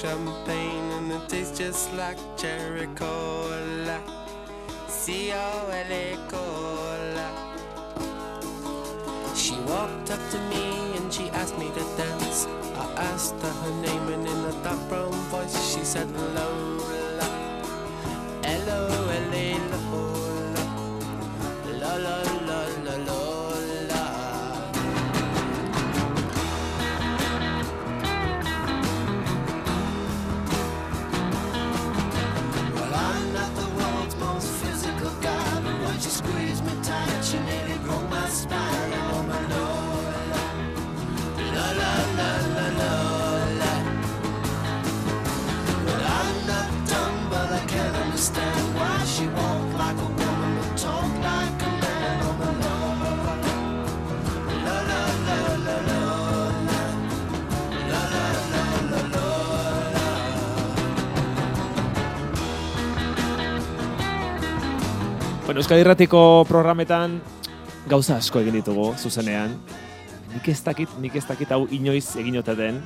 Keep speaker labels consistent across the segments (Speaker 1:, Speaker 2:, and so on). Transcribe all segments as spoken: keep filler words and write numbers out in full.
Speaker 1: champagne and it tastes just like cherry cola. C O L A cola. She walked up to me and she asked me to dance. I asked her her name and in a dark brown voice she said Lola. L O L A Lola. La la la la Lola. Well, I'm not the world's most physical guy, but when she squeezed me tight, she nearly broke my spine. Oh my Lola, la la la la Lola. Well, I'm not dumb, but I can't understand why she walk like a woman but talk like a man. Oh my Lola, la la la la Lola, la la la la Lola.
Speaker 2: Bueno, Euskadi Irratiko programetan gauza asko egin ditugu zuzenean. Nik ez dakit, nik ez dakit hau inoiz egin ote den.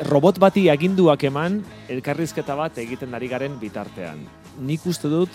Speaker 2: Robot bati aginduak eman, elkarrizketa bat egiten ari garen bitartean. Nik uste dut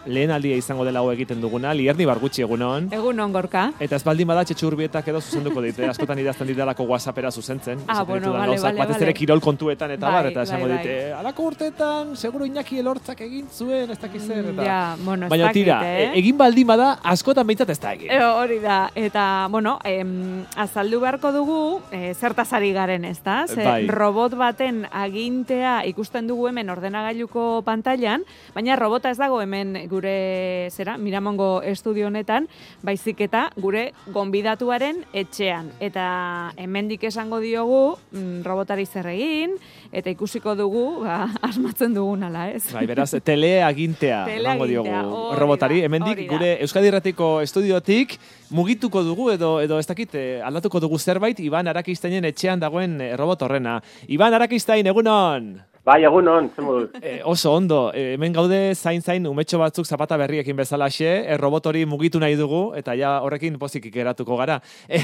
Speaker 2: lehen aldia izango dela hau egiten duguna, Lierni Bargutxi egunon.
Speaker 3: Egunon, Gorka.
Speaker 2: Eta ez baldin bada Txetxu Urbietak edo zuzenduko dite, askotan idazten didalako WhatsAppera zuzentzen.
Speaker 3: Ah,
Speaker 2: esaten
Speaker 3: bueno,
Speaker 2: ditudan
Speaker 3: vale,
Speaker 2: gauzak,
Speaker 3: vale,
Speaker 2: batez
Speaker 3: vale.
Speaker 2: ere kirol kontuetan eta
Speaker 3: Bai,
Speaker 2: bar, eta esango
Speaker 3: bai,
Speaker 2: dite, alako urteetan, seguro Iñaki Elortzak egin zuen, ez dakiz zer, eta...
Speaker 3: Ja, bueno, ez
Speaker 2: Baina
Speaker 3: dakit,
Speaker 2: tira,
Speaker 3: eh?
Speaker 2: e- egin baldin bada, askotan behintzat ez da egin.
Speaker 3: E, hori da, eta, bueno, em, azaldu beharko dugu, e, zertaz ari garen, ez da? Ze
Speaker 2: Bai.
Speaker 3: robot baten agintea ikusten dugu hemen ordenagailuko pantailan, baina robota ez dago hemen gure, zera, Miramongo estudio honetan, baizik eta gure gonbidatuaren etxean. Eta hemendik esango diogu mm, robotari zer egin, eta ikusiko dugu, ba, asmatzen dugun ala, ez?
Speaker 2: Bai, beraz, teleagintea emango diogu
Speaker 3: Teleagintea, hori
Speaker 2: robotari.
Speaker 3: da,
Speaker 2: Hemendik
Speaker 3: hori da.
Speaker 2: gure Euskadi Irratiko estudiotik mugituko dugu edo edo ez dakit eh, aldatuko dugu zerbait Iban Arakistainen etxean dagoen eh, robot horrena. Iban Arakistain, egunon!
Speaker 4: Bai, egunon, zen moduz.
Speaker 2: Eh, oso ondo, eh, hemen gaude zain-zain umetxo batzuk zapata berriekin bezalaxe, eh, robot hori mugitu nahi dugu, eta ja horrekin pozik geratuko gara. Eh,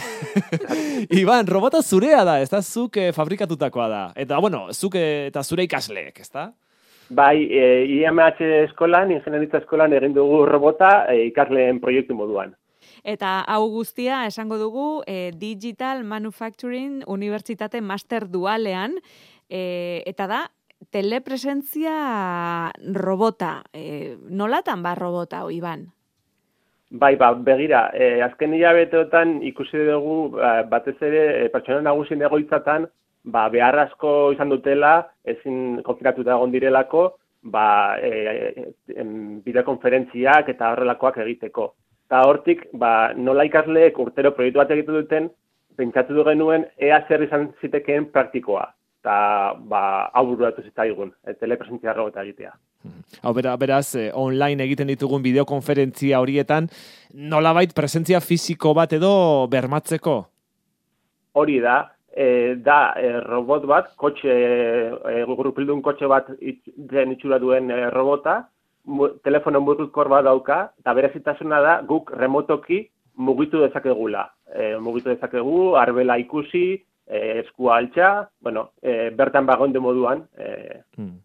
Speaker 2: Iban, robota zurea da, ez da zuk eh, fabrikatutakoa da. Eta, bueno, zuk eh, eta zure ikasleek, ez da?
Speaker 4: Bai, e, I M H eskolan, ingenieritza eskolan egin dugu robota e, ikasleen proiektu moduan.
Speaker 3: Eta hau guztia esango dugu e, Digital Manufacturing Unibertsitate Master Dualean, e, eta da telepresentzia robota. E, nolatan ba robota, hau, Iban?
Speaker 4: Bai, ba, begira, e, azken hilabeteotan ikusi dugu ba, batez ere e, pertsona nagusien egoitzatan ba, behar asko izan dutela, ezin konfinatuta egon direlako, ba, e, e, bideokonferentziak eta horrelakoak egiteko. Eta hortik, ba, nola ikasleek urtero proiektu bat egiten duten, pentsatu du genuen ea zer izan zitekeen praktikoa. Eta ba, hau bururatu zitzaigun, e, telepresentzia robota egitea.
Speaker 2: Hau, bera, beraz, eh, online egiten ditugun bideokonferentzia horietan, nolabait presentzia fisiko bat edo bermatzeko?
Speaker 4: Hori da, e, da e, robot bat, kotxe, e, gurupildun kotxe bat den itxura duen e, robota, mu, telefono mugikor bat dauka, eta berezitasuna da guk remotoki mugitu dezakegula. E, mugitu dezakegu, arbela ikusi, e, eskua altxa, bueno, e, bertan bagonde moduan. E,
Speaker 3: hmm.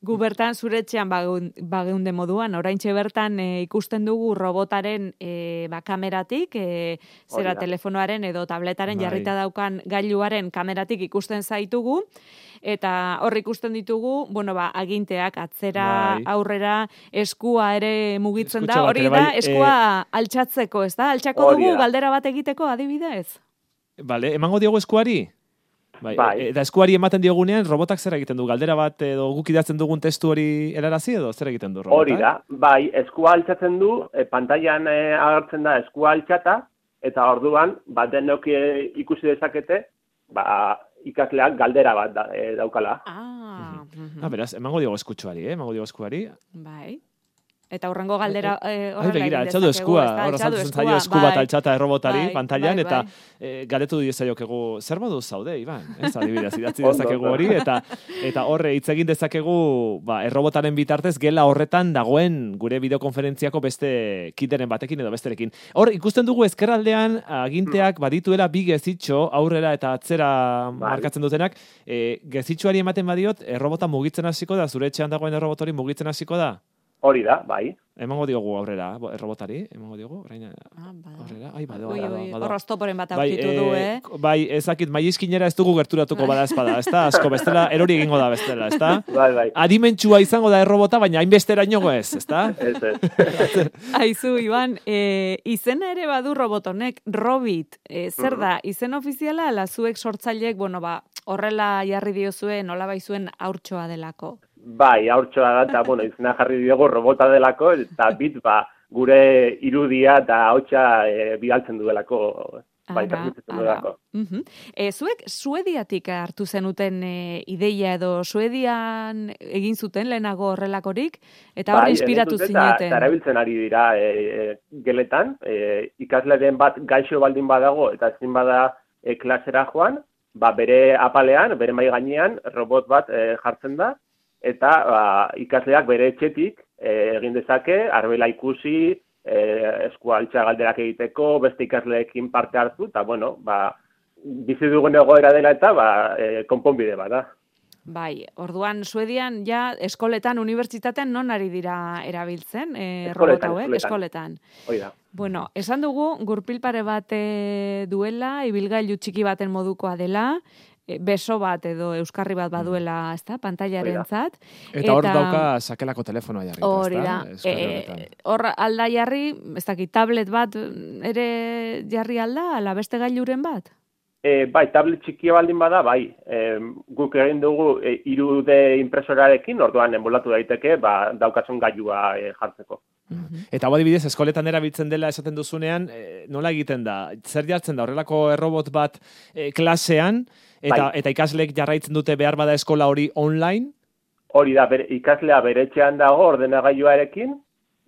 Speaker 3: Gu bertan zure etxean bageunde moduan, oraintxe bertan e, ikusten dugu robotaren e, ba, kameratik, e, zera telefonoaren edo tabletaren
Speaker 2: bai.
Speaker 3: jarrita daukan gailuaren kameratik ikusten zaitugu, eta hor ikusten ditugu, bueno, ba, aginteak atzera,
Speaker 2: bai.
Speaker 3: aurrera, eskua ere mugitzen
Speaker 2: Eskutxa
Speaker 3: da, hori
Speaker 2: bat ere,
Speaker 3: da,
Speaker 2: bai,
Speaker 3: eskua
Speaker 2: eh,
Speaker 3: altxatzeko, ez da? Altxako
Speaker 4: hori
Speaker 3: dugu
Speaker 4: da.
Speaker 3: galdera bat egiteko adibidez?
Speaker 2: Bale, emango diogu eskuari? Bai,
Speaker 4: Bai.
Speaker 2: e- eta eskuari ematen diogunean, robotak zer egiten du? Galdera bat edo guk idatzen dugun testu hori erarazi edo zer egiten du robotak?
Speaker 4: hori da, bai, eskua altxatzen du, e, pantailan e, agertzen da eskua altxata, eta orduan, ba, denok e, ikusi dezakete, ba, ikasleak galdera bat da, e, daukala.
Speaker 3: Ah,
Speaker 2: Ah, beraz, emango diogu eskutsuari, eh? Emango diogu eskuari.
Speaker 3: bai. Eta horrengo galdera eh,
Speaker 2: Ai, begira, altxatu eskua, hor azaltzen zaio esku bat altxata errobotari
Speaker 3: bai,
Speaker 2: pantailan,
Speaker 3: bai,
Speaker 2: eta
Speaker 3: bai.
Speaker 2: e, galetu diezaiokegu, zer modu zaude, Iban? Ez, adibidez, idatzi dezakegu hori, eta eta horre hitz egin dezakegu ba, errobotaren bitartez gela horretan dagoen gure bideokonferentziako beste kideren batekin edo besterekin. Hor, ikusten dugu ezkerraldean aginteak badituela bi gezitxo, aurrera eta atzera markatzen dutenak, e, gezitxoari ematen badiot, errobota mugitzen hasiko da, zure etxean dagoen errobotori mugitzen hasiko da?
Speaker 4: Hori da, bai.
Speaker 2: Emango diogu aurrera, errobotari, emango diogu, orain
Speaker 3: ah,
Speaker 2: aurrera, ai, bado,
Speaker 3: ui,
Speaker 2: bado,
Speaker 3: ui,
Speaker 2: bado.
Speaker 3: hor oztoporen bat
Speaker 2: Bai,
Speaker 3: aurkitu du, eh?
Speaker 2: Bai, ezakit, maizkinera ez dugu gerturatuko bada espada, ezta? Asko, bestela, erori egingo da bestela, ezta?
Speaker 4: Bai, bai.
Speaker 2: Adimentsua izango da errobota, baina hainbestera inogo ez, ezta?
Speaker 4: Ez, ez.
Speaker 3: Aizu, Iban, e, izena ere badu robotonek, Robit, e, zer da, izen ofiziala, ala zuek sortzaileek, bueno, ba, horrela jarri diozue, nola baizuen haurtxoa delako?
Speaker 4: Bai, haurtxoa da, eta, bueno, izena jarri diogu robota delako, eta bit, ba, gure irudia eta hautsa e, bidaltzen duelako, bai, transmititzen duelako.
Speaker 3: Uh-huh. E, zuek Suediatik hartu zenuten e, ideia edo Suedian egin zuten lehenago horrelakorik, eta hor
Speaker 4: bai,
Speaker 3: inspiratu zineten.
Speaker 4: Eta erabiltzen ari dira e, e, geletan, e, ikasleren bat gaixo baldin badago, eta ezin bada e, klasera joan, ba, bere apalean, bere mai gainean, robot bat e, jartzen da, eta ba, ikasleak bere etxetik e, egin dezake, arbela ikusi, e, eskualtza galderak egiteko, beste ikasleekin parte hartu, eta bueno, ba, bizi dugun egoera dela eta ba, e, konponbide bat da.
Speaker 3: Bai, orduan Suedian ja eskoletan, unibertsitatean non ari dira erabiltzen, e,
Speaker 4: Eskoletan,
Speaker 3: robot hauek,
Speaker 4: eskoletan.
Speaker 3: eskoletan.
Speaker 4: Hoi da.
Speaker 3: Bueno, esan dugu, gurpil pare bat e, duela, ibilgailu txiki baten modukoa dela, beso bat edo euskarri bat baduela, ezta, pantailarentzat.
Speaker 2: Eta hor dauka sakelako telefonoa jarri,
Speaker 3: hori da. E, hor alda jarri, ez dakit, tablet bat ere jarri alda, ala beste gailuren bat?
Speaker 4: E, bai, tablet txikia baldin bada, bai. E, guk egin dugu e, hiru D impresorarekin, orduan enbolatu daiteke, ba, daukasun gailua e, jartzeko.
Speaker 2: Eta hau adibidez, eskoletan erabiltzen dela esaten duzunean, e, nola egiten da? Zer jartzen da? Horrelako errobot bat e, klasean, eta, bai. Eta ikasleek jarraitzen dute behar bada eskola hori online?
Speaker 4: Hori da, bere, ikaslea bere etxean dago ordenagailuarekin,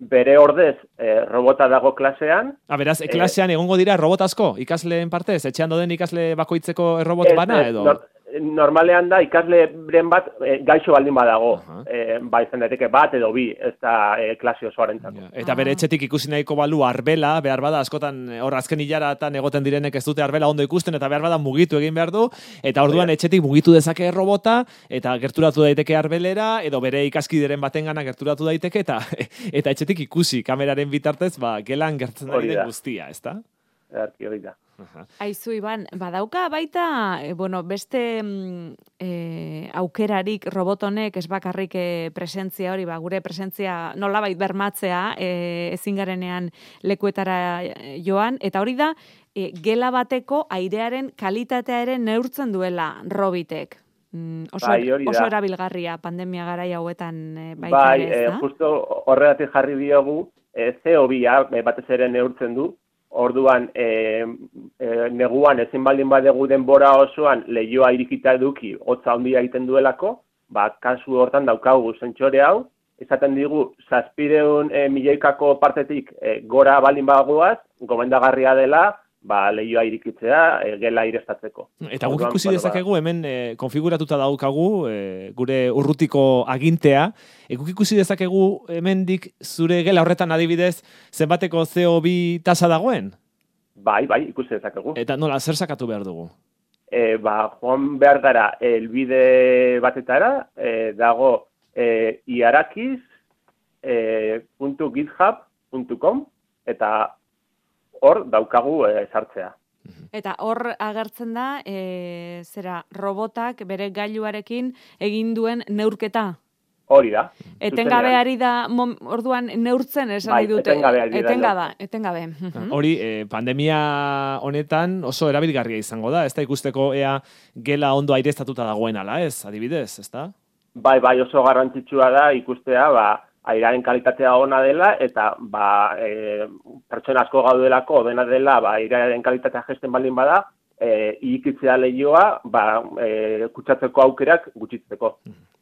Speaker 4: bere ordez e, robota dago klasean.
Speaker 2: A, beraz, e, klasean egongo dira robot asko, ikasleen partez? Etxean doden ikasle bakoitzeko errobot bana edo?
Speaker 4: Nor, normalean da ikasleren bat e, gaixo baldin badago. Uh-huh. e, ba, izan daiteke bat edo bi, ez da e, klase osoarentzako.
Speaker 2: Ja, eta bere etxetik ikusi nahiko balu arbela, behar bada, askotan hor azken hilaratan egoten direnek ez dute arbela ondo ikusten, eta behar bada mugitu egin behar du, eta orduan etxetik mugitu dezake robota, eta gerturatu daiteke arbelera, edo bere ikaskideren batengana gerturatu daiteke, eta eta etxetik ikusi kameraren bitartez, ba, gelan gertzen ari den guztia, ezta?
Speaker 4: Erki hori da.
Speaker 3: Aizu, Iban, badauka baita, e, bueno, beste e, aukerarik robotonek ez bakarrik e, presentzia hori, ba, gure presentzia nolabait bermatzea e, ezin garenean lekuetara joan, eta hori da, e, gela bateko airearen kalitatea ere neurtzen duela robitek. Mm, oso,
Speaker 4: bai,
Speaker 3: oso erabilgarria pandemia garai hauetan e, baita
Speaker 4: bai,
Speaker 3: ere, ez da?
Speaker 4: Bai, justo horregatik jarri diogu, e, C O bia batez ere neurtzen du, orduan e, e, neguan ezin baldin badegu denbora osoan lehioa irikita eduki hotza handia egiten duelako, ba, kasu hortan daukagu sentsore hau, esaten digu zazpiehun e, milioikako partetik e, gora baldin bagoaz, gomendagarria dela, ba, lehioa irikitzea, e, gela irestatzeko.
Speaker 2: Eta guk ikusi dezakegu, hemen e, konfiguratuta daukagu, e, gure urrutiko agintea, e, guk ikusi dezakegu hemendik zure gela horretan adibidez, zenbateko C O bi tasa dagoen?
Speaker 4: Bai, bai, ikusi dezakegu.
Speaker 2: Eta nola, zer sakatu behar dugu?
Speaker 4: E, ba, joan behar gara, elbide batetara, e, dago e, iarakiz puntu github puntu com, eta hor daukagu e, sartzea.
Speaker 3: Eta hor agertzen da, e, zera, robotak bere gailuarekin egin duen neurketa?
Speaker 4: Hori da.
Speaker 3: Etengabe ari da, mom, orduan neurtzen esan
Speaker 4: bai,
Speaker 3: dute.
Speaker 4: Etengabe ari da.
Speaker 3: Etengabe, etengabe.
Speaker 2: Hori, eh, pandemia honetan oso erabilgarria izango da, ez da ikusteko ea gela ondo aireztatuta dagoen ala, ez, adibidez, ez da?
Speaker 4: Bai, bai, oso garrantzitsua da ikustea, ba, airearen kalitatea ona dela, eta ba, e, pertsona asko gaudelako, dena dela, ba, airearen kalitatea gesten baldin bada, e, irikitzea lehioa, ba, e, kutsatzeko aukerak gutxitzeko.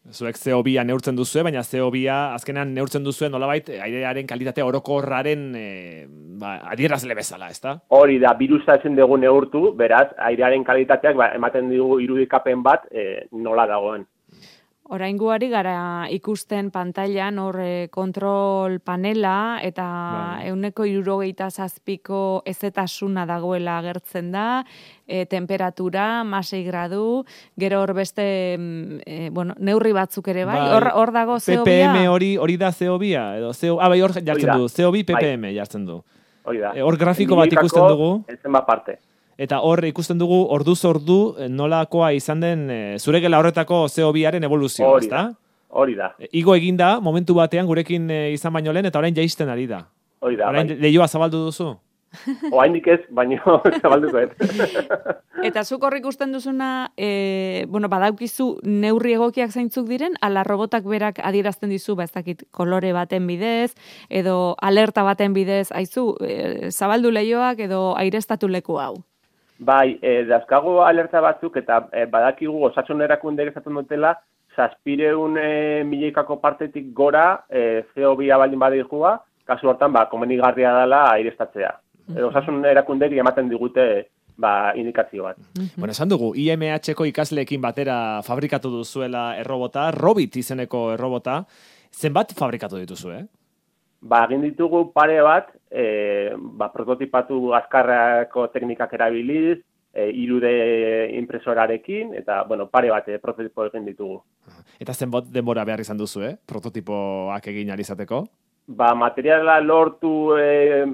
Speaker 2: Zuek C O bia neurtzen duzue, baina C O bia azkenean neurtzen duzue nolabait airearen kalitate orokorraren e, ba, adierazle bezala, ezta?
Speaker 4: Hori da, birusa ezin dugu neurtu, beraz, airearen kalitateak ba, ematen digu irudikapen bat e, nola dagoen.
Speaker 3: Oraingoari gara ikusten pantailan hor e, kontrol panela eta
Speaker 2: Bai.
Speaker 3: ehuneko hirurogeita zazpiko ezetasuna dagoela agertzen da, e, temperatura, masei gradu, gero hor beste e, bueno, neurri batzuk ere bai,
Speaker 2: Bai.
Speaker 3: hor hor dago C O
Speaker 2: P P M
Speaker 3: bia.
Speaker 2: hori hori da C O bia edo C O ah bai hor jartzen
Speaker 4: da.
Speaker 2: du, C O bi P P M
Speaker 4: Bai.
Speaker 2: jartzen du.
Speaker 4: Hori da.
Speaker 2: E, hor grafiko bat
Speaker 4: Milioikako
Speaker 2: ikusten dugu.
Speaker 4: zenbat parte.
Speaker 2: Eta hor ikusten dugu orduz ordu eh, nolakoa izan den e, zure gela horretako C O biaren evoluzioa,
Speaker 4: Hori
Speaker 2: ezta?
Speaker 4: da. Hori da.
Speaker 2: E, Igo egin da momentu batean gurekin e, izan baino lehen eta orain jaisten ari da.
Speaker 4: Hori da,
Speaker 2: Orain
Speaker 4: bai.
Speaker 2: leioa zabaldu duzu?
Speaker 4: Oaindik ez, baino zabalduko ez.
Speaker 3: Eta zuk hor ikusten duzuna, e, bueno, badaukizu neurri egokiak zeintzuk diren, ala robotak berak adierazten dizu, ba ez dakit, kolore baten bidez, edo alerta baten bidez, aizu, e, zabaldu leioak edo aireztatu leku hau.
Speaker 4: Bai, e, dazkago alerta batzuk eta e, badakigu osasun erakundeek esaten dutela, zazpireun e, milioikako partetik gora e, C O bia baldin badikua, kasu hortan ba, komenigarria dela aireztatzea. E, osasun erakunderi ematen digute ba, indikazio bat.
Speaker 2: Bueno, esan dugu, I M H-ko ikasleekin batera fabrikatu duzuela errobota, Robit izeneko errobota, zenbat fabrikatu dituzu, eh?
Speaker 4: Ba, egin ditugu pare bat, e, ba, prototipatu azkarrako teknikak erabiliz, e, irude impresorarekin, eta, bueno, pare bat e, prototipo egin ditugu.
Speaker 2: Eta zenbat denbora behar izan duzu, eh? Prototipoak egin ahal izateko?
Speaker 4: Ba, materiala lortu e,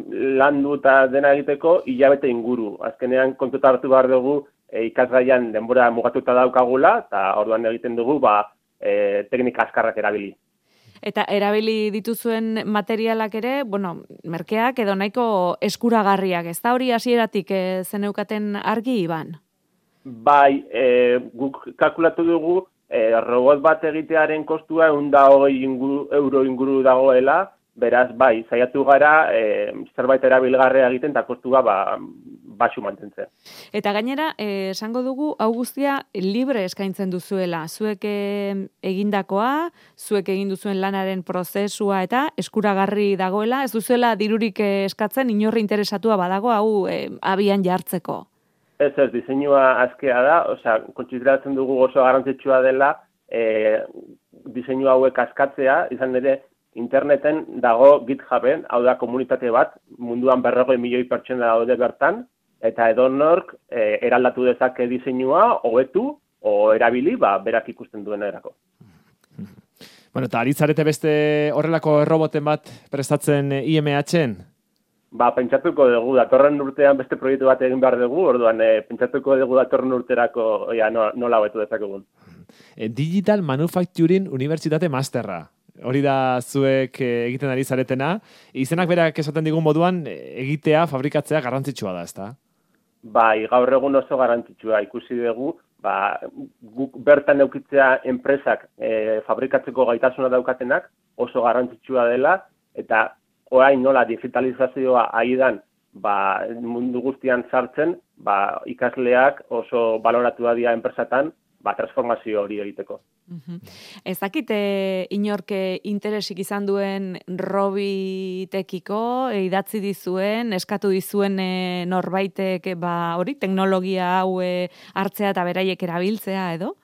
Speaker 4: landu eta dena egiteko hilabete inguru. Azkenean kontuta hartu behar dugu e, ikasgaian denbora mugatuta daukagula, eta orduan egiten dugu ba, e, teknika azkarrak erabili.
Speaker 3: Eta erabili dituzuen materialak ere, bueno, merkeak edo nahiko eskuragarriak, ez da hori hasieratik e, zeneukaten argi, Iban?
Speaker 4: Bai, e, guk kalkulatu dugu e, robot bat egitearen kostua ehun eta hogei inguru, euro inguru dagoela, beraz, bai, saiatu gara e, zerbait erabilgarria egiten eta kostua ba, baxu mantentzen.
Speaker 3: Eta gainera, eh, esango dugu, hau guztia libre eskaintzen duzuela. Zuek eh, egindakoa, zuek egin duzuen lanaren prozesua eta eskuragarri dagoela, ez duzuela dirurik eh, eskatzen inorri interesatua badago hau eh, abian jartzeko.
Speaker 4: Ez ez, diseinua askea da, osea, kontsideratzen dugu oso garrantzitsua dela e, diseinu hauek askatzea, izan ere, interneten dago GitHuben, hau da komunitate bat, munduan berrogei milioi pertsona daude bertan, eta edonork e, eraldatu dezake diseinua, hobetu, o erabili, ba, berak ikusten duen erako.
Speaker 2: Bueno, eta aritzarete beste horrelako erroboten bat prestatzen I M H-en?
Speaker 4: Ba, pentsatuko dugu, datorren urtean beste proiektu bat egin behar dugu, orduan e, pentsatuko dugu datorren urterako ja, no, nola hobetu dezakegun.
Speaker 2: E, Digital Manufacturing Unibertsitate Masterra. Hori da zuek egiten ari zaretena. Izenak berak esaten digun moduan egitea, fabrikatzea garrantzitsua da, ezta?
Speaker 4: Bai, gaur egun oso garrantzitsua ikusi dugu, ba, guk bertan eukitzea enpresak e, fabrikatzeko gaitasuna daukatenak oso garrantzitsua dela, eta orain nola digitalizazioa aidan ba, mundu guztian sartzen, ba, ikasleak oso baloratua dira enpresatan, ba, transformazio hori egiteko.
Speaker 3: Uh-huh. Ez dakit e, inorke interesik izan duen Robitekiko, e, idatzi dizuen, eskatu dizuen e, norbaitek e, ba, hori teknologia hau e, hartzea eta beraiek erabiltzea edo?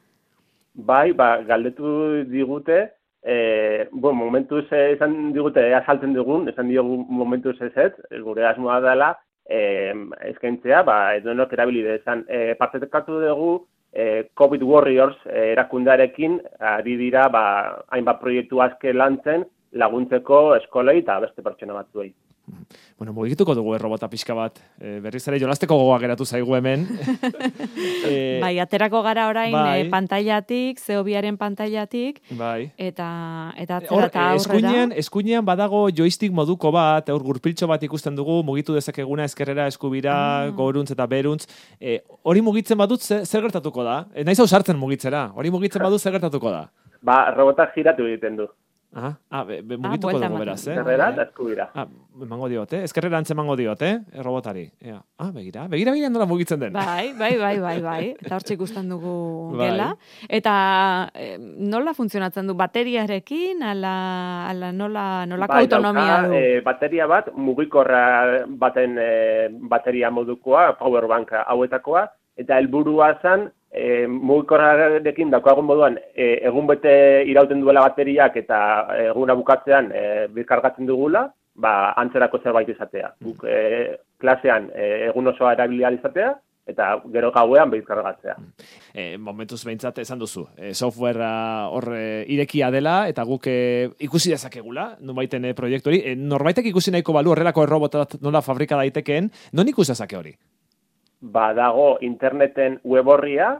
Speaker 4: Bai, ba, galdetu digute, e, bon, momentuz esan digute, ea saltzen dugun, esan diogu momentuz ez ez, gure asmoa dela, e, eskaintzea, ba, edonok erabili dezan. E, partekatu dugu, E, COVID Warriors e, erakundarekin ari dira ba, hainbat proiektu aske lantzen laguntzeko eskolei eta beste pertsona batzuei.
Speaker 2: Bueno, mugituko dugu errobota pixka bat. E, berriz ere jolasteko gogoa geratu zaigu hemen.
Speaker 3: e, bai, aterako gara orain
Speaker 2: bai.
Speaker 3: e, pantailatik, C O biaren pantailatik,
Speaker 2: bai.
Speaker 3: eta, eta atzera
Speaker 2: Hor,
Speaker 3: eta aurrera.
Speaker 2: eskuinean, eskuinean badago joystick moduko bat, hor gurpiltxo bat ikusten dugu, mugitu dezakeguna eskerrera, eskubira, ah. goruntz eta beruntz. E, hori mugitzen badut, zer, zer gertatuko da? E, naiz hau sartzen mugitzera, hori mugitzen badut, zer gertatuko da?
Speaker 4: Ba, robotak giratu egiten du.
Speaker 2: Aha, ah, be, be, mugituko
Speaker 3: buelta
Speaker 2: dugu
Speaker 3: ematen.
Speaker 2: beraz, eh?
Speaker 4: Ezkerrera eta eskubira.
Speaker 2: Ah, emango diot, eh? Ezkerrerantz emango diot, eh? Robotari. Ea. Ah, begira, begira, begira nola mugitzen den.
Speaker 3: Bai, bai, bai, bai, bai. Eta hortxe ikusten dugu
Speaker 2: Bai.
Speaker 3: gela. Eta eh, nola funtzionatzen du? Bateriarekin, ala, ala nola, nolako
Speaker 4: Bai,
Speaker 3: autonomia
Speaker 4: dauka,
Speaker 3: du?
Speaker 4: eh, bateria bat, mugikorra baten eh, bateria modukoa, powerbank hauetakoa, eta helburua zen, e, mugikorrarekin daukagun moduan, e, egun bete irauten duela bateriak eta eguna bukatzean e, birkargatzen dugula, ba, antzerako zerbait izatea. Guk e, klasean e, egun osoa erabili ahal izatea, eta gero gauean birkargatzea.
Speaker 2: E, momentuz behintzat esan duzu, e, softwarea hor e, irekia dela, eta guk e, ikusi dezakegula, nonbaiten e, proiektu hori. E, norbaitek ikusi nahiko balu horrelako errobota nola fabrika daitekeen, non ikusi dezake hori?
Speaker 4: Ba, dago interneten web horria,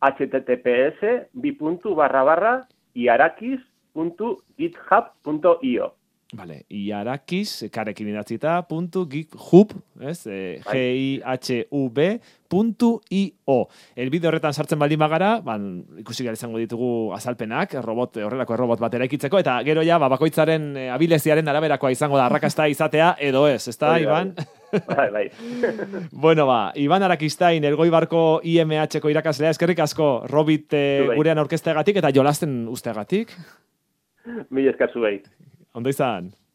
Speaker 4: https bi puntu barra barra iarakiz puntu github puntu io.
Speaker 2: Vale, iarakiz, karekin idatzita, puntu github, ez? E, G I H U B puntu io. Elbide horretan sartzen baldin bagara, ban, ikusi gara izango ditugu azalpenak, robot, horrelako robot bat eraikitzeko, eta gero ja, ba, bakoitzaren e, abileziaren araberakoa izango da arrakasta izatea, edo ez, ezta,
Speaker 4: Oi,
Speaker 2: Iban?
Speaker 4: Bai, bai.
Speaker 2: Bueno, ba, Iban Arakistain, Elgoibarko I M H-ko irakaslea, eskerrik asko, Robit e, gurean aurkezteagatik eta jolasten usteagatik.
Speaker 4: Mil esker zuei.
Speaker 2: Ondo izan.